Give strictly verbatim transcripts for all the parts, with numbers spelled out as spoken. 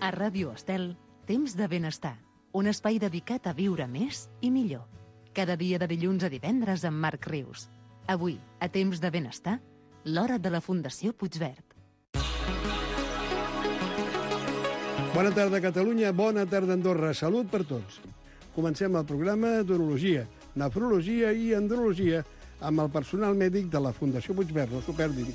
A Ràdio Estel, Temps de Benestar, un espai dedicat a viure més i millor. Cada dia de dilluns a divendres amb Marc Rius. Avui, a Temps de Benestar, l'hora de la Fundació Puigverd. Bona tarda, Catalunya. Bona tarda, Andorra. Salut per tots. Comencem el programa d'urologia, nefrologia i andrologia amb el personal mèdic de la Fundació Puigverd. No s'ho perdin.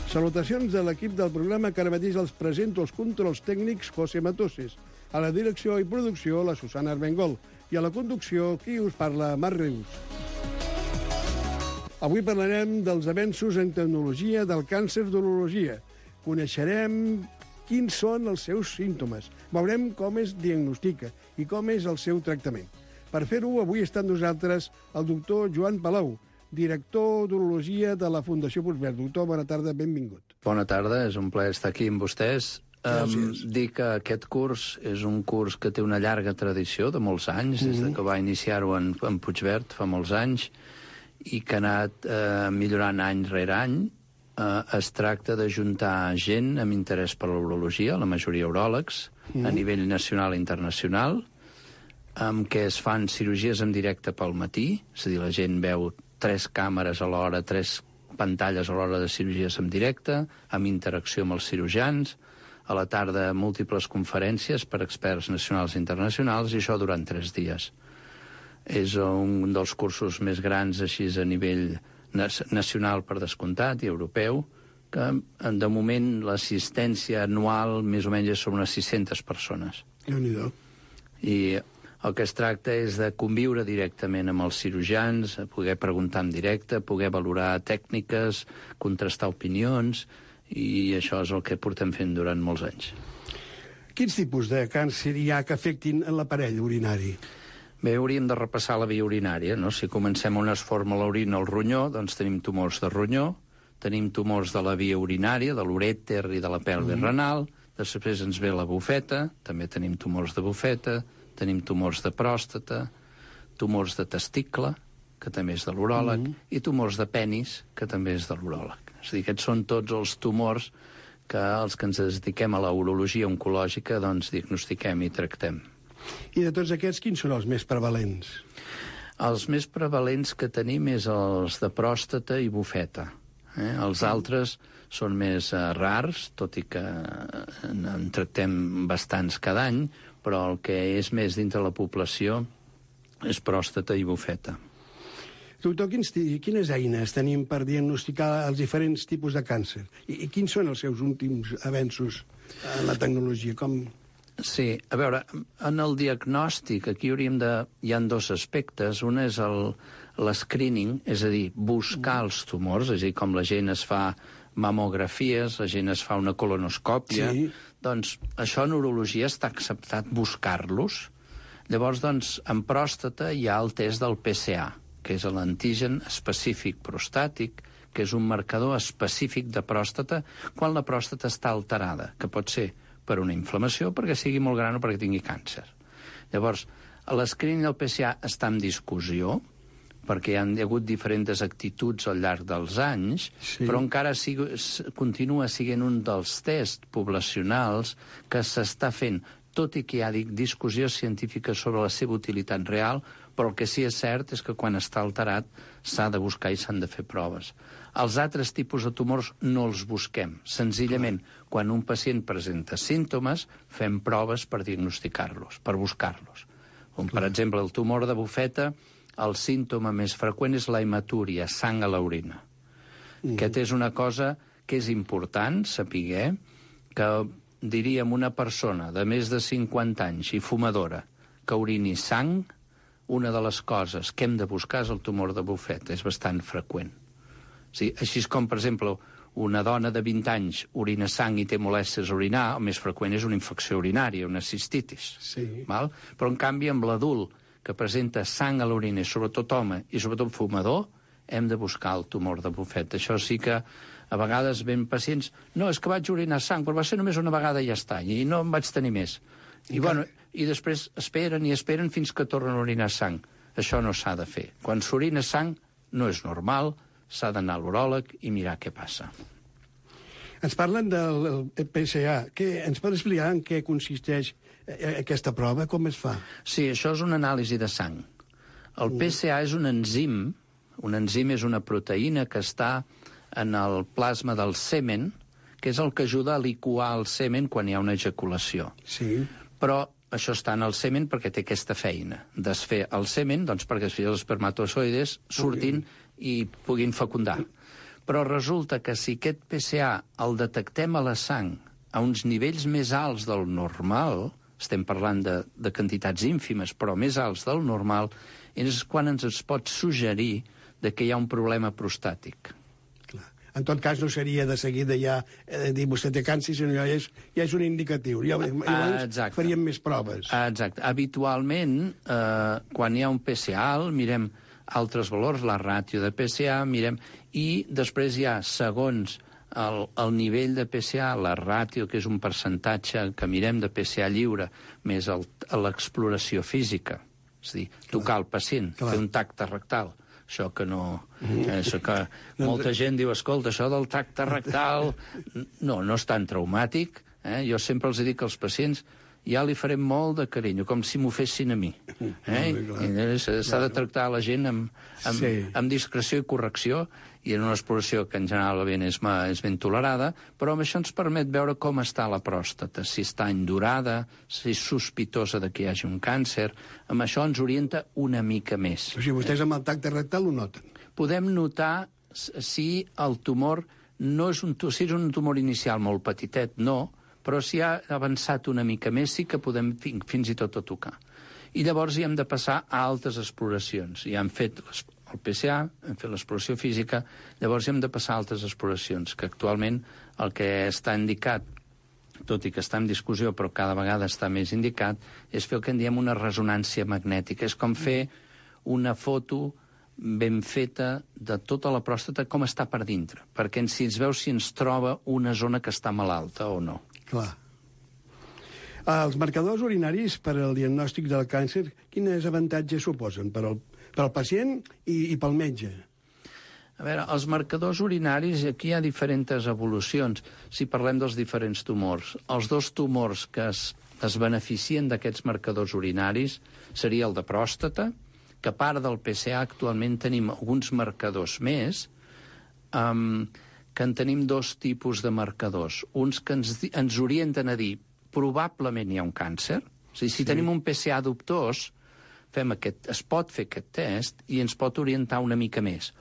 Salutacions de l'equip del programa que ara mateix els presento els controls tècnics José Matoses, a la direcció i producció la Susana Armengol i a la conducció qui us parla, Marc Rius. Avui parlarem dels avenços en tecnologia del càncer d'urologia. Coneixerem quins són els seus símptomes. Veurem com es diagnostica i com és el seu tractament. Per fer-ho, avui està amb nosaltres el doctor Joan Palau, director d'urologia de la Fundació Puigverd. Doctor, bona tarda, benvingut. Bona tarda, és un plaer estar aquí amb vostès. Gràcies. Um, dir que aquest curs és un curs que té una llarga tradició de molts anys, mm-hmm. des de que va iniciar-ho en, en Puigverd fa molts anys, i que ha anat eh, millorant any rere any. Eh, es tracta d'ajuntar gent amb interès per l'urologia, la majoria uròlegs, mm. a nivell nacional i internacional, amb què es fan cirurgies en directe pel matí, és a dir, la gent veu tres càmeres a l'hora, tres pantalles a l'hora de cirurgies en directe, amb interacció amb els cirurgians, a la tarda múltiples conferències per experts nacionals i internacionals, i això durant tres dies. És un dels cursos més grans així a nivell nacional per descomptat i europeu, que de moment l'assistència anual més o menys és sobre unes sis-centes persones. Déu-n'hi-do. I el que es tracta és de conviure directament amb els cirurgians, poder preguntar en directe, poder valorar tècniques, contrastar opinions, i això és el que portem fent durant molts anys. Quins tipus de càncer hi ha que afectin l'aparell urinari? Bé, hauríem de repassar la via urinària, no? Si comencem on es forma l'orina al ronyó, doncs tenim tumors de ronyó, tenim tumors de la via urinària, de l'urèter i de la pelve mm. renal, després ens ve la bufeta, també tenim tumors de bufeta, tenim tumors de pròstata, tumors de testicle, que també és de l'uròleg, mm. i tumors de penis, que també és de l'uròleg. És a dir, aquests són tots els tumors que els que ens dediquem a la urologia oncològica doncs diagnostiquem i tractem. I de tots aquests, quins són els més prevalents? Els més prevalents que tenim és els de pròstata i bufeta. Eh? Els altres són més eh, rars, tot i que en, en tractem bastants cada any, però el que és més dintre la població és pròstata i bufeta. Doctor, quins, quines eines tenim per diagnosticar els diferents tipus de càncer? I, i quins són els seus últims avenços en la tecnologia? Com... Sí, a veure, en el diagnòstic aquí hauríem de... hi ha dos aspectes. Un és l'escreening, és a dir, buscar els tumors, és a dir, com la gent es fa mamografies, la gent es fa una colonoscòpia, sí. Doncs això en urologia està acceptat buscar-los. Llavors, doncs, en pròstata hi ha el test del P S A, que és l'antigen específic prostàtic, que és un marcador específic de pròstata quan la pròstata està alterada, que pot ser per una inflamació, perquè sigui molt gran o perquè tingui càncer. Llavors, l'escreening del P S A està en discussió, perquè hi ha hagut diferents actituds al llarg dels anys, sí. Però encara sigui, continua sent un dels tests poblacionals que s'està fent, tot i que hi ha discussió científica sobre la seva utilitat real, però el que sí que és cert és que quan està alterat s'ha de buscar i s'han de fer proves. Els altres tipus de tumors no els busquem. Senzillament, quan un pacient presenta símptomes, fem proves per diagnosticar-los, per buscar-los. Com, per exemple, el tumor de bufeta, el símptoma més freqüent és la hematúria, sang a l'orina. Mm. Aquesta és una cosa que és important saber, que diríem una persona de més de cinquanta anys i fumadora que urini sang, una de les coses que hem de buscar és el tumor de bufeta, és bastant freqüent. Sí, així com, per exemple, una dona de vint anys orina sang i té molèsties a orinar, el més freqüent és una infecció urinària, una cistitis. Sí. Val? Però, en canvi, amb l'adult que presenta sang a l'orina, sobretot home i sobretot fumador, hem de buscar el tumor de bufeta. Això sí que a vegades ven pacients... No, és que vaig orinar sang, però va ser només una vegada i ja està, i no en vaig tenir més. I, I, bueno, i després esperen i esperen fins que tornen a orinar sang. Això no s'ha de fer. Quan s'orina sang no és normal, s'ha d'anar a l'uròleg i mirar què passa. Ens parlen del P C A. Què, ens pot explicar en què consisteix aquesta prova? Com es fa? Sí, això és una anàlisi de sang. El P C A és un enzim, un enzim és una proteïna que està en el plasma del semen, que és el que ajuda a liquar el semen quan hi ha una ejaculació. Sí. Però això està en el semen perquè té aquesta feina, desfer el semen, doncs perquè els espermatozoides surtin i puguin fecundar. Però resulta que si aquest P C A el detectem a la sang a uns nivells més alts del normal, estem parlant de, de quantitats ínfimes, però més alts del normal, és quan ens es pot suggerir de que hi ha un problema prostàtic. Clar. En tot cas, no seria de seguida ja eh, dir vostè té càncer, sinó ja és, ja és un indicatiu. Ja, llavors ah, faríem més proves. Ah, exacte. Habitualment, eh, quan hi ha un P C A alt, mirem altres valors, la ràtio de P C A, mirem... I després hi ha, segons el, el nivell de P C A, la ràtio, que és un percentatge que mirem de P C A lliure, més l'exploració física, és a dir, tocar el pacient, Clar. fer un tacte rectal. Això que no... Això que molta gent diu, escolta, això del tacte rectal... No, no és tan traumàtic. Eh? Jo sempre els dic als pacients, ja li farem molt de carinyo, com si m'ho fessin a mi. Eh? S'ha de tractar la gent amb, amb, sí. amb discreció i correcció, i en una exploració que en general és, és ben tolerada, però amb això ens permet veure com està la pròstata, si està endurada, si és sospitosa de que hi hagi un càncer. Amb això ens orienta una mica més. O sigui, vostès amb el tacte rectal ho noten? Podem notar si el tumor no és un, si és un tumor inicial molt petitet, no, però si ha avançat una mica més sí que podem fins i tot a tocar. I llavors hi hem de passar a altres exploracions. Ja hem fet el P C A, hem fet l'exploració física, llavors hem de passar a altres exploracions, que actualment el que està indicat, tot i que està en discussió, però cada vegada està més indicat, és fer el que en diem una resonància magnètica. És com fer una foto ben feta de tota la pròstata, com està per dintre, perquè si ens veu si ens troba una zona que està malalta o no. Clar. Els marcadors urinaris per al diagnòstic del càncer, quins avantatges suposen per al, per al pacient i, i pel metge? A veure, els marcadors urinaris, aquí hi ha diferents evolucions, si parlem dels diferents tumors. Els dos tumors que es, es beneficien d'aquests marcadors urinaris seria el de pròstata, que a part del P C A actualment tenim alguns marcadors més, um, que en tenim dos tipus de marcadors. Uns que ens, ens orienten a dir probablement hi ha un càncer. O sigui, si sí. tenim un P C A dubtós, fem aquest, es pot fer aquest test i ens pot orientar una mica més.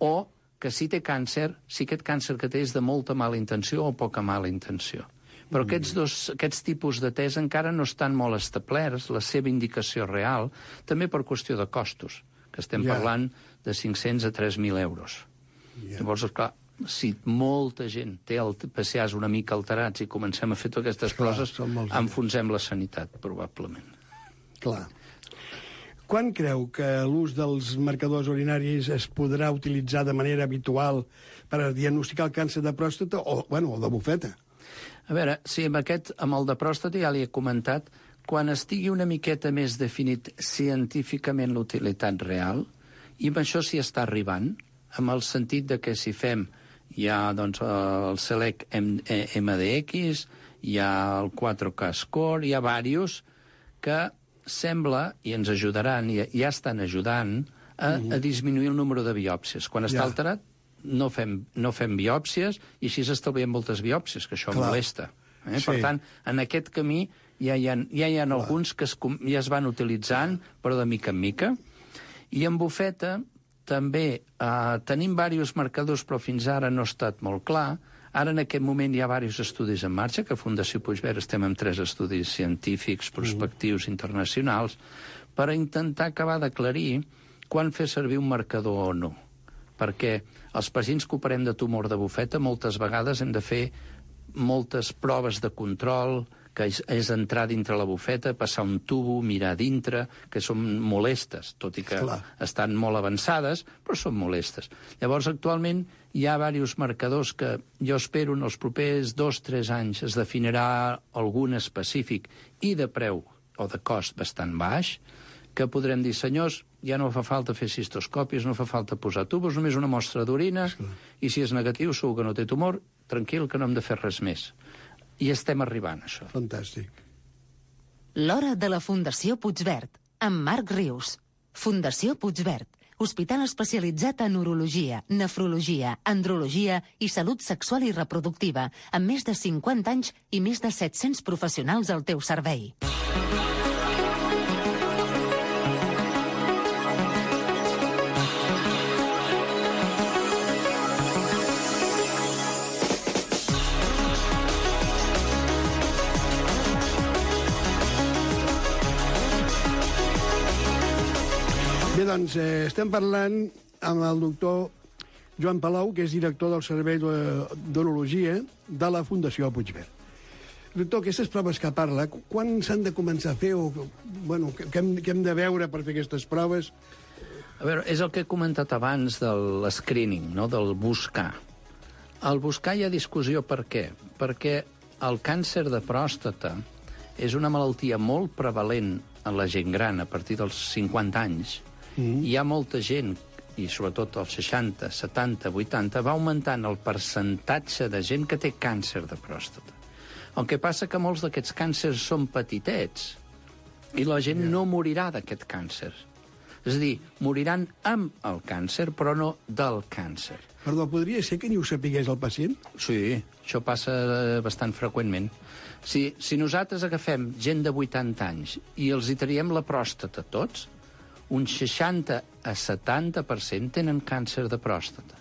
O que si té càncer, si aquest càncer que té és de molta mala intenció o poca mala intenció. Però mm. aquests, dos, aquests tipus de test encara no estan molt establerts, la seva indicació real, també per qüestió de costos, que estem yeah. parlant de cinc-cents a tres mil euros. Yeah. Llavors, clar, si molta gent té el P C As una mica alterats i comencem a fer totes aquestes Clar, coses, enfonsem la sanitat, probablement. Clar. Quan creu que l'ús dels marcadors urinaris es podrà utilitzar de manera habitual per diagnosticar el càncer de pròstata o, bueno, o de bufeta? A veure, sí, amb aquest, amb el de pròstata ja li he comentat, quan estigui una miqueta més definit científicament l'utilitat real, i amb això s'hi està arribant, amb el sentit de que si fem hi ha doncs, el Select M D X, hi ha el quatre K Score, hi ha diversos que sembla, i ens ajudaran, i ja estan ajudant, a, a disminuir el número de biòpsies. Quan està ja. alterat, no fem, no fem biòpsies, i així s'estalvien moltes biòpsies, que això Clar. molesta. Eh? Sí. Per tant, en aquest camí ja hi ha, ja hi ha alguns que es, ja es van utilitzant, però de mica en mica. I en bufeta també eh, tenim diversos marcadors, però fins ara no ha estat molt clar. Ara, en aquest moment, hi ha diversos estudis en marxa, que a Fundació Puigverd estem amb tres estudis científics, prospectius, mm. internacionals, per intentar acabar d'aclarir quan fer servir un marcador o no. Perquè els pacients que operem de tumor de bufeta, moltes vegades hem de fer moltes proves de control, que és, és entrar dintre la bufeta, passar un tubo, mirar dintre, que són molestes, tot i que Clar. estan molt avançades, però són molestes. Llavors, actualment, hi ha diversos marcadors que jo espero en els propers dos o tres anys es definirà algun específic i de preu o de cost bastant baix, que podrem dir, senyors, ja no fa falta fer cistoscòpies, no fa falta posar tubos, només una mostra d'orina, sí. i si és negatiu, segur que no té tumor, tranquil, que no hem de fer res més. I estem arribant a això. Fantàstic. L'hora de la Fundació Puigverd, amb Marc Rius. Fundació Puigverd, hospital especialitzat en urologia, nefrologia, andrologia i salut sexual i reproductiva, amb més de cinquanta anys i més de set-cents professionals al teu servei. Bé, doncs, eh, estem parlant amb el doctor Joan Palau, que és director del Servei d'Urologia de la Fundació Puigverd. Doctor, aquestes proves que parla, quan s'han de començar a fer? O, bueno, què hem, què hem de veure per fer aquestes proves? A veure, és el que he comentat abans de l'escreening, no? Del buscar. Al buscar hi ha discussió per què? Perquè el càncer de pròstata és una malaltia molt prevalent en la gent gran a partir dels cinquanta anys. Mm. Hi ha molta gent, i sobretot als seixanta, setanta, vuitanta, va augmentant el percentatge de gent que té càncer de pròstata. El que passa que molts d'aquests càncers són petitets i la gent yeah. no morirà d'aquest càncer. És a dir, moriran amb el càncer, però no del càncer. Perdó, podria ser que ni ho sapigués el pacient? Sí, això passa bastant freqüentment. Si, si nosaltres agafem gent de vuitanta anys i els hi traiem la pròstata tots, un seixanta a setanta per cent tenen càncer de pròstata.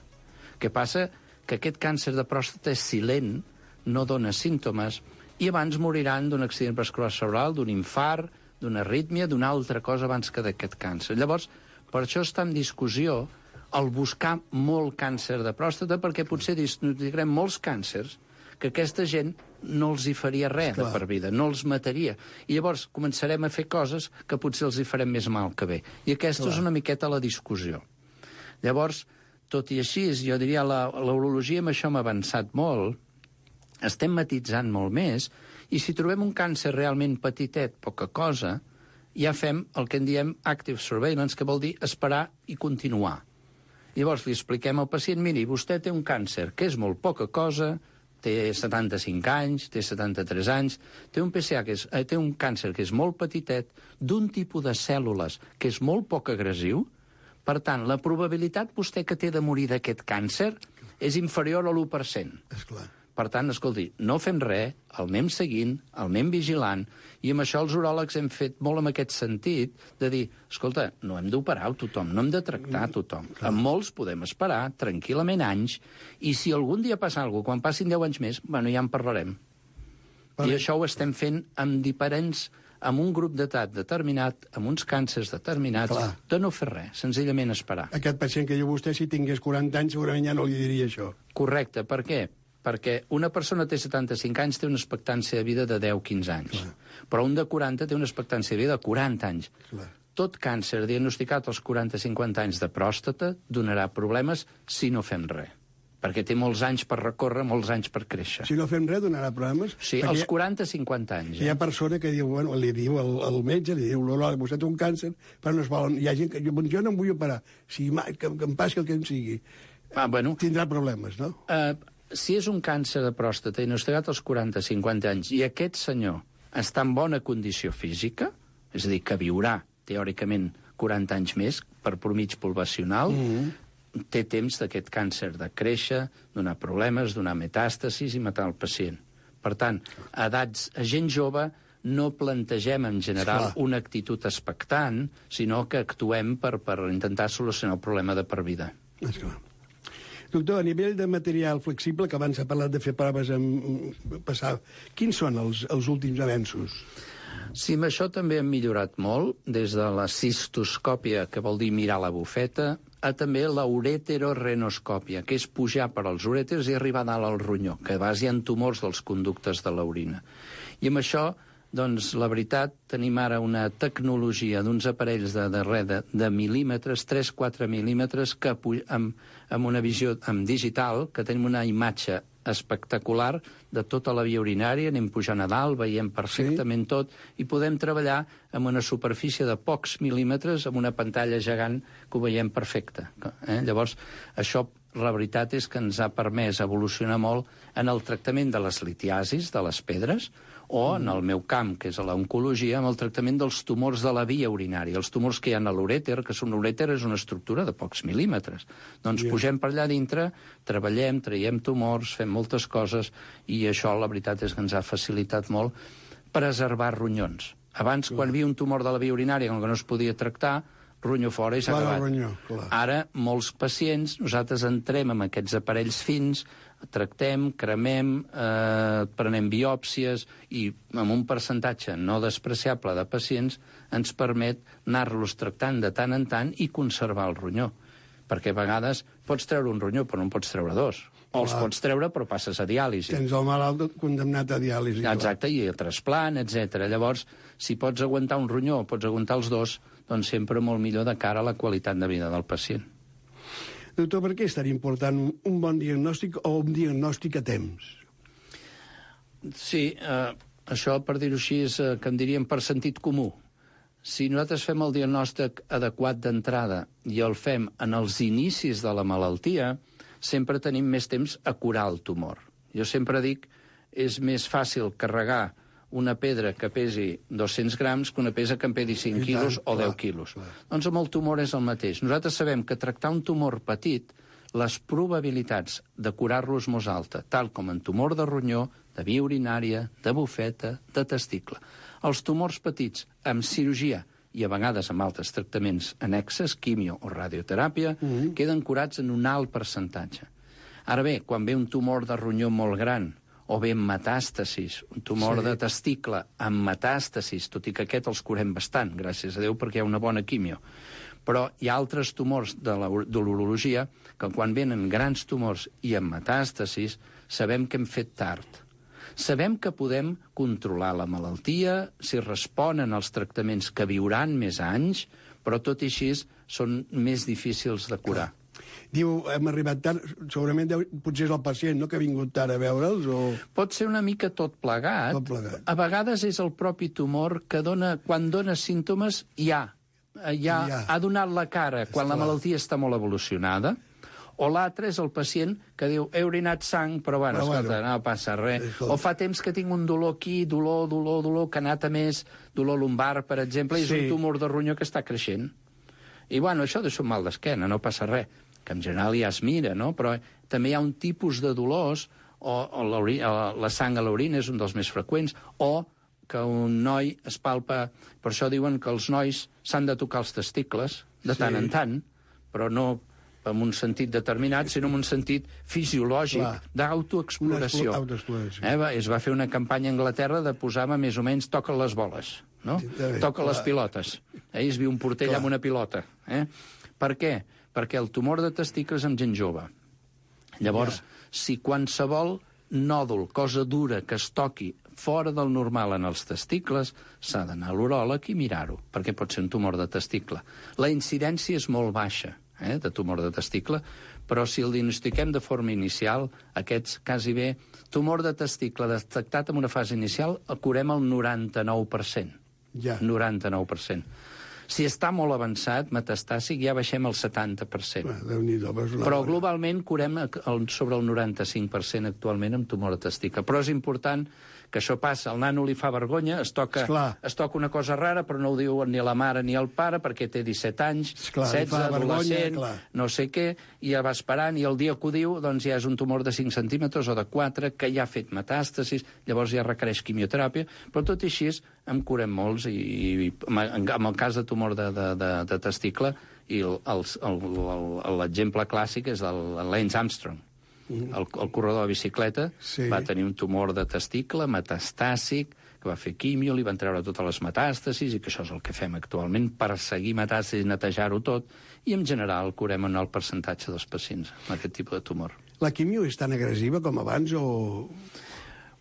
Què passa? Que aquest càncer de pròstata és silent, no dona símptomes, i abans moriran d'un accident vascular cerebral, d'un infart, d'una arrítmia, d'una altra cosa abans que d'aquest càncer. Llavors, per això està en discussió el buscar molt càncer de pròstata, perquè potser diagnosticarem molts càncers que aquesta gent no els hi faria res de per vida, no els mataria. I llavors començarem a fer coses que potser els hi farem més mal que bé. I aquesta Clar. és una miqueta la discussió. Llavors, tot i així, jo diria, la, la urologia amb això m'ha avançat molt, estem matitzant molt més, i si trobem un càncer realment petitet, poca cosa, ja fem el que en diem active surveillance, que vol dir esperar i continuar. Llavors li expliquem al pacient, miri, vostè té un càncer que és molt poca cosa, té setanta-cinc anys, té setanta-tres anys, té un P C A que és, eh, té un càncer que és molt petitet, d'un tipus de cèl·lules que és molt poc agressiu. Per tant, la probabilitat vostè que té de morir d'aquest càncer és inferior a l'u per cent. Esclar. Per tant, escolti, no fem res, el anem seguint, el anem vigilant, i amb això els uròlegs hem fet molt en aquest sentit, de dir, escolta, no hem d'operar a tothom, no hem de tractar a tothom. Mm, amb molts podem esperar tranquil·lament anys, i si algun dia passa alguna cosa, quan passin deu anys més, bueno, ja en parlarem. Vale. I això ho estem fent amb diferents, amb un grup d'edat determinat, amb uns càncers determinats, Clar. de no fer res, senzillament esperar. Aquest pacient que diu vostè, si tingués quaranta anys, segurament ja no li diria això. Correcte, per què? Perquè una persona té setanta-cinc anys, té una expectància de vida de deu a quinze anys. Clar. Però un de quaranta té una expectància de vida de quaranta anys. Clar. Tot càncer diagnosticat als quaranta a cinquanta anys de pròstata donarà problemes si no fem res. Perquè té molts anys per recórrer, molts anys per créixer. Si no fem res, donarà problemes? Sí, als quaranta a cinquanta anys. Eh? Hi ha persona que diu, bueno, li diu al, al metge, li diu, l'olor, vostè té un càncer, però no es volen. Hi ha gent que jo, jo no em vull operar. Si mai, que, que em passi el que em sigui. Ah, bueno. Tindrà problemes, no? Uh, si és un càncer de pròstata diagnosticat als quaranta a cinquanta anys i aquest senyor està en bona condició física, és a dir, que viurà, teòricament, quaranta anys més per promig poblacional, mm-hmm. té temps d'aquest càncer de créixer, donar problemes, donar metàstasis i matar el pacient. Per tant, a edats, a gent jove, no plantegem en general Esclar. una actitud expectant, sinó que actuem per, per intentar solucionar el problema de per vida. Esclar. Doctor, a nivell de material flexible, que abans ha parlat de fer proves en passar, quins són els, els últims avenços? Sí, amb això també hem millorat molt, des de la cistoscòpia, que vol dir mirar la bufeta, a també la ureterorenoscòpia, que és pujar per als urèters i arribar a dalt al ronyó, que a vegades hi ha tumors dels conductes de l'orina. I amb això, doncs, la veritat, tenim ara una tecnologia d'uns aparells de, de, de, de mil·límetres, tres a quatre mil·límetres, que amb, amb una visió amb digital, que tenim una imatge espectacular de tota la via urinària, anem pujant a dalt, veiem perfectament sí. tot, i podem treballar amb una superfície de pocs mil·límetres, amb una pantalla gegant que ho veiem perfecte. Eh? Llavors, això la veritat és que ens ha permès evolucionar molt en el tractament de les litiasis, de les pedres, o en el meu camp, que és a l'oncologia, amb el tractament dels tumors de la via urinària, els tumors que hi ha a l'urèter, que són l'urèter és una estructura de pocs mil·límetres. Doncs yeah. pugem per allà dintre, treballem, traiem tumors, fem moltes coses, i això, la veritat és que ens ha facilitat molt preservar ronyons. Abans, clar. quan hi havia un tumor de la via urinària que no es podia tractar, ronyó fora i s'ha acabat. Ronyó, clar. Ara, molts pacients, nosaltres entrem amb aquests aparells fins, tractem, cremem, eh, prenem biòpsies i amb un percentatge no despreciable de pacients ens permet anar-los tractant de tant en tant i conservar el ronyó. Perquè a vegades pots treure un ronyó però no en pots treure dos. O els pots treure però passes a diàlisi. Tens el malalt condemnat a diàlisi. Exacte, i el trasplant, etcètera. Llavors, si pots aguantar un ronyó o pots aguantar els dos, doncs sempre molt millor de cara a la qualitat de vida del pacient. Doctor, per què és tan important un bon diagnòstic o un diagnòstic a temps? Sí, eh, això, per dir-ho així, és eh, que en diríem per sentit comú. Si nosaltres fem el diagnòstic adequat d'entrada i el fem en els inicis de la malaltia, sempre tenim més temps a curar el tumor. Jo sempre dic, és més fàcil carregar una pedra que pesi dos-cents grams que una pedra que en pesi cinc quilos o deu quilos. Doncs amb el tumor és el mateix. Nosaltres sabem que tractar un tumor petit, les probabilitats de curar-lo és molt alta, tal com en tumor de ronyó, de via urinària, de bufeta, de testicle. Els tumors petits, amb cirurgia i a vegades amb altres tractaments annexes, quimio o radioteràpia, mm-hmm. queden curats en un alt percentatge. Ara bé, quan ve un tumor de ronyó molt gran, o bé amb metàstasis, un tumor sí. de testicle amb metàstasis, tot i que aquest els curem bastant, gràcies a Déu, perquè hi ha una bona quimio. Però hi ha altres tumors de l'urologia que quan venen grans tumors i amb metàstasis, sabem que hem fet tard. Sabem que podem controlar la malaltia, si responen als tractaments que viuran més anys, però tot i així són més difícils de curar. Diu, hem arribat tard, segurament deu, potser és el pacient, no?, que ha vingut tard a veure'ls, o... Pot ser una mica tot plegat. Tot plegat. A vegades és el propi tumor que dona, quan dona símptomes, ja, ja, ja. ha donat la cara quan Esclar. la malaltia està molt evolucionada, o l'altre és el pacient que diu, he orinat sang, però bueno, però escolta, bueno, no passa res. Escolta. O fa temps que tinc un dolor aquí, dolor, dolor, dolor, que ha anat a més, dolor lumbar, per exemple, i és sí. un tumor de ronyó que està creixent. I bueno, això és un mal d'esquena, no passa res, que en general ja es mira, no? Però també hi ha un tipus de dolors, o, o la sang a l'orina és un dels més freqüents, o que un noi es palpa... Per això diuen que els nois s'han de tocar els testicles, de tant sí. en tant, però no en un sentit determinat, sinó en un sentit fisiològic d'autoexploració. Eh, es va fer una campanya a Anglaterra de posar-me més o menys toca les boles, no? Sí, toca clar. les pilotes. Eh, es viu un portell clar. amb una pilota. Eh? Per què? Perquè el tumor de testicles amb gent jove. Llavors, ja. si qualsevol nòdul, cosa dura, que es toqui fora del normal en els testicles, s'ha d'anar a l'uròleg i mirar-ho, perquè pot ser un tumor de testicle. La incidència és molt baixa, eh, de tumor de testicle, però si el diagnostiquem de forma inicial, aquests quasi bé, tumor de testicle detectat en una fase inicial, el curem al noranta-nou per cent. Ja. noranta-nou per cent. Si està molt avançat, metastàsic, ja baixem al setanta per cent. Però globalment curem sobre el noranta-cinc per cent actualment amb tumor de testicle. Però és important que això passa. El nano li fa vergonya, es toca, es toca una cosa rara, però no ho diu ni la mare ni el pare, perquè té disset anys, Esclar, setze, adolescent, no sé què, i ja va esperant, i el dia que ho diu, doncs ja és un tumor de cinc centímetres o de quatre, que ja ha fet metàstasis, llavors ja requereix quimioteràpia, però tot i així en curem molts, i, i en el cas de tumor de, de, de, de testicle, i l'exemple clàssic és el Lance Armstrong. El, el corredor de bicicleta sí. va tenir un tumor de testicle metastàsic, que va fer quimio, li van treure totes les metàstasis, i que això és el que fem actualment, perseguir metàstasis, netejar-ho tot, i en general curem en el percentatge dels pacients amb aquest tipus de tumor. La quimio és tan agressiva com abans o...?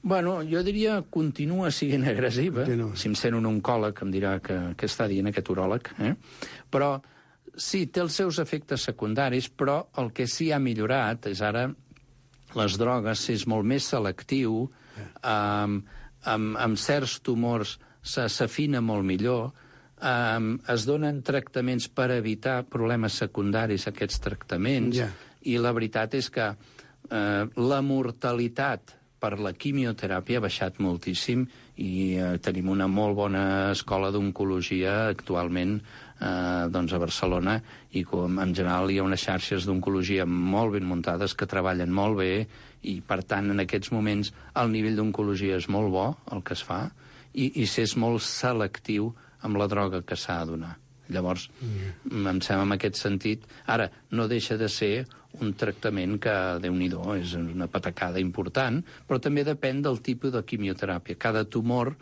Bueno, jo diria continua sent agressiva. No. Si em sent un oncòleg em dirà que, que està dient aquest uròleg, eh? Però sí, té els seus efectes secundaris, però el que sí ha millorat és ara les drogues, és molt més selectiu, um, amb, amb certs tumors s'afina molt millor, um, es donen tractaments per evitar problemes secundaris a aquests tractaments, yeah. I la veritat és que eh, la mortalitat per la quimioteràpia ha baixat moltíssim i eh, tenim una molt bona escola d'oncologia actualment eh, doncs a Barcelona, i com en general hi ha unes xarxes d'oncologia molt ben muntades que treballen molt bé, i per tant en aquests moments el nivell d'oncologia és molt bo, el que es fa, i, i s'és molt selectiu amb la droga que s'ha de donar. Llavors, mm. em sembla en aquest sentit... Ara, no deixa de ser un tractament que, Déu-n'hi-do, és una patacada important, però també depèn del tipus de quimioteràpia. Cada tumor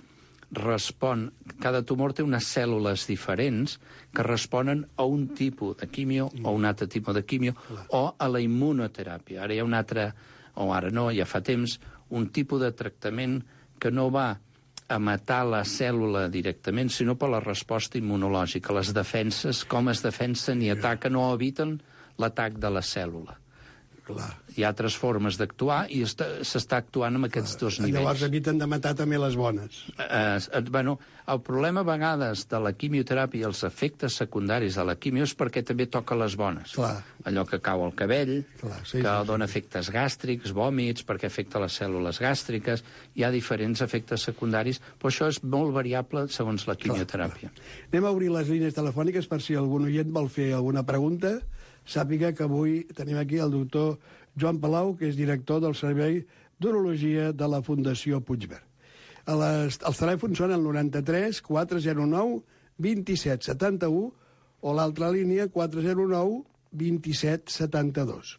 respon... Cada tumor té unes cèl·lules diferents que responen a un tipus de quimio mm. o un altre tipus de quimio o a la immunoteràpia. Ara hi ha un altre... o ara no, ja fa temps, un tipus de tractament que no va a matar la cèl·lula directament, sinó per la resposta immunològica, les defenses, com es defensen i ataquen o eviten l'atac de la cèl·lula. Clar. Hi ha altres formes d'actuar i s'està actuant amb aquests dos nivells. Llavors eviten de matar també les bones. Eh, eh, bueno, el problema a vegades de la quimioteràpia i els efectes secundaris de la quimio és perquè també toca les bones. Clar. Allò que cau al cabell, Clar, sí, que sí, dona sí. efectes gàstrics, vòmits, perquè afecta les cèl·lules gàstriques, hi ha diferents efectes secundaris, però això és molt variable segons la quimioteràpia. Clar, clar. Anem a obrir les línies telefòniques per si algun oient vol fer alguna pregunta. Sàpiga que avui tenim aquí el doctor Joan Palau, que és director del Servei d'Urologia de la Fundació Puigverd. A les, els telèfons són el noranta-tres quatre zero nou vint set setanta-u o l'altra línia quatre zero nou vint set setanta-dos.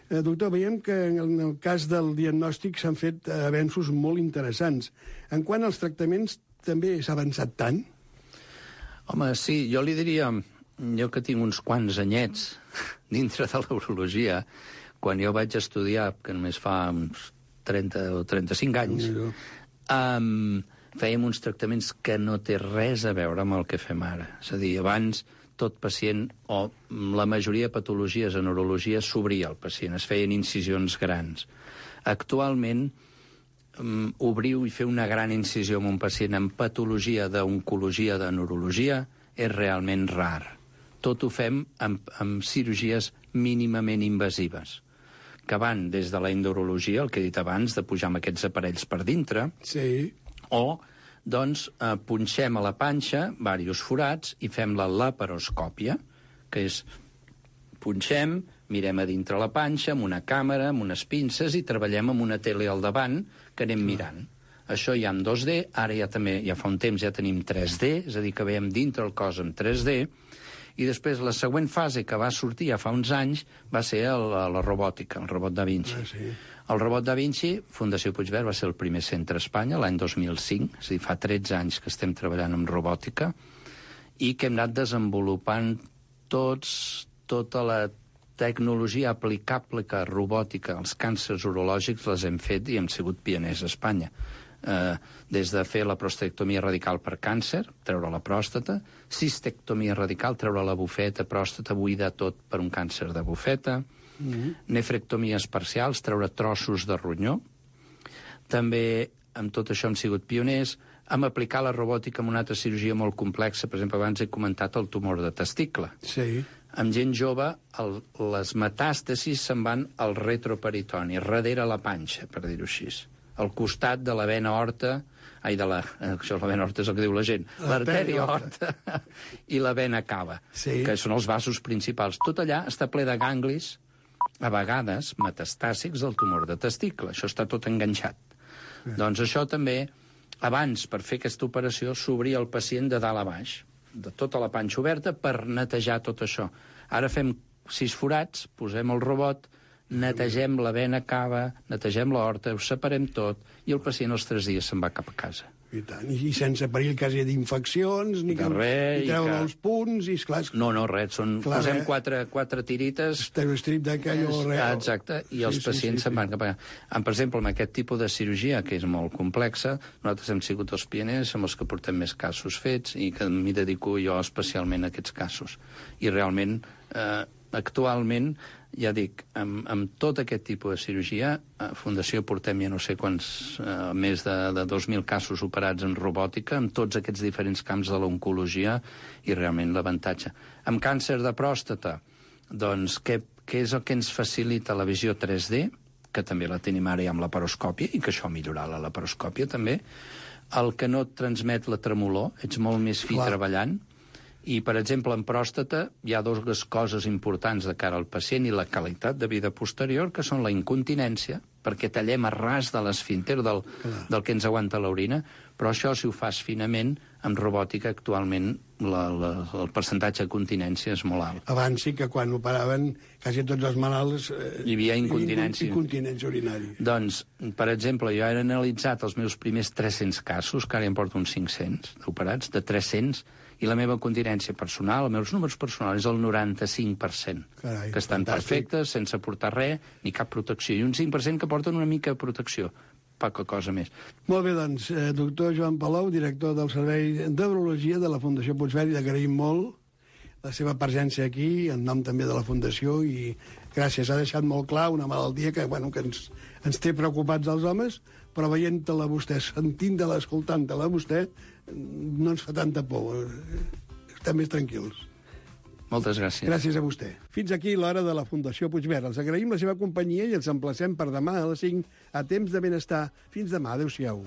Eh, doctor, veiem que en el cas del diagnòstic s'han fet avenços molt interessants. En quant als tractaments també s'ha avançat tant? Home, sí, jo li diria... Jo que tinc uns quants anyets dintre de l'urologia, quan jo vaig estudiar, que només fa uns trenta o trenta-cinc anys, um, fèiem uns tractaments que no té res a veure amb el que fem ara. És a dir, abans tot pacient, o la majoria de patologies en urologia, s'obria el pacient, es feien incisions grans. Actualment, um, obriu i fer una gran incisió en un pacient amb patologia d'oncologia, de neurologia, és realment rar. Tot ho fem amb, amb cirurgies mínimament invasives, que van des de la endurologia, el que he dit abans, de pujar amb aquests aparells per dintre, sí. o, doncs, eh, punxem a la panxa diversos forats i fem la laparoscòpia, que és punxem, mirem a dintre la panxa, amb una càmera, amb unes pinces, i treballem amb una tele al davant que anem mirant. Això ja en dos D, ara ja també, ja fa un temps ja tenim tres D, és a dir, que veiem dintre el cos en tres D, i després la següent fase que va sortir ja fa uns anys va ser el, la robòtica, el robot Da Vinci. Ah, sí. El robot Da Vinci, Fundació Puigverd, va ser el primer centre a Espanya l'any dos mil cinc, és a dir, fa tretze anys que estem treballant amb robòtica, i que hem anat desenvolupant tots, tota la tecnologia aplicable que robòtica als càncers urològics les hem fet i hem sigut pioners a Espanya. Eh, des de fer la prostatectomia radical per càncer, treure la pròstata, cistectomia radical, treure la bufeta, pròstata buida tot per un càncer de bufeta, mm-hmm. nefrectomies parcials, treure trossos de ronyó. També, amb tot això, hem sigut pioners, amb aplicar la robòtica en una altra cirurgia molt complexa. Per exemple, abans he comentat el tumor de testicle. Sí. Amb gent jove, el, les metàstasis se'n van al retroperitoni, darrere la panxa, per dir-ho així. Al costat de la vena horta, ai, de la, això la vena horta és el que diu la gent, l'artèria horta i la vena cava, sí. que són els vasos principals. Tot allà està ple de ganglis, a vegades metastàsics del tumor de testicle. Això està tot enganxat. Sí. Doncs això també, abans, per fer aquesta operació, s'obria el pacient de dalt a baix, de tota la panxa oberta, per netejar tot això. Ara fem sis forats, posem el robot, netegem la vena cava, netegem l'aorta, ho separem tot, i el pacient els tres dies se'n va cap a casa. I tant, i sense perill quasi d'infeccions, ni que res, ni treure que... els punts, i esclar... No, no, res, són... Clar, posem eh? quatre, quatre tirites... Estereostrip d'aquell o res... Exacte, i els sí, pacients sí, sí, se'n van sí. cap a casa. Per exemple, amb aquest tipus de cirurgia, que és molt complexa, nosaltres hem sigut els pioners, som els que portem més casos fets, i que m'hi dedico jo especialment a aquests casos. I realment, eh, actualment, ja dic, amb, amb tot aquest tipus de cirurgia, a Fundació portem ja no sé quants, eh, més de, de dos mil casos operats en robòtica, amb tots aquests diferents camps de l'oncologia, i realment l'avantatge. Amb càncer de pròstata, doncs, què, que és el que ens facilita la visió tres D, que també la tenim ara ja amb la laparoscòpia, i que això millorarà la laparoscòpia també, el que no et transmet la tremolor, ets molt més fi Clar. treballant, i, per exemple, en pròstata hi ha dues coses importants de cara al pacient i la qualitat de vida posterior, que són la incontinència, perquè tallem a ras de l'esfínter del, del que ens aguanta l'orina, però això, si ho fas finament, amb robòtica, actualment, la, la, el percentatge de continència és molt alt. Abans sí que quan operaven quasi tots els malalts... Eh, Hi havia incontinència. Incontinència urinària. Doncs, per exemple, jo he analitzat els meus primers tres-cents casos, que ara ja em porto uns cinc-cents operats, de tres-cents, i la meva continència personal, els meus números personals, és el noranta-cinc per cent. Carai, que estan fantàstic. perfectes, sense portar res, ni cap protecció. I un cinc per cent que porten una mica de protecció. Poca cosa més. Molt bé, doncs, eh, doctor Joan Palou, director del Servei d'Urologia de la Fundació Puigverd, i agraïm molt la seva presència aquí, en nom també de la Fundació, i gràcies, ha deixat molt clar una malaltia que, bueno, que ens, ens té preocupats els homes, però veient-la vostè, sentint-la, escoltant-la vostè, no ens fa tanta por. Estem més tranquils. Moltes gràcies. Gràcies a vostè. Fins aquí l'hora de la Fundació Puigverd. Els agraïm la seva companyia i els emplacem per demà a les cinc a Temps de Benestar. Fins demà. Adéu-siau.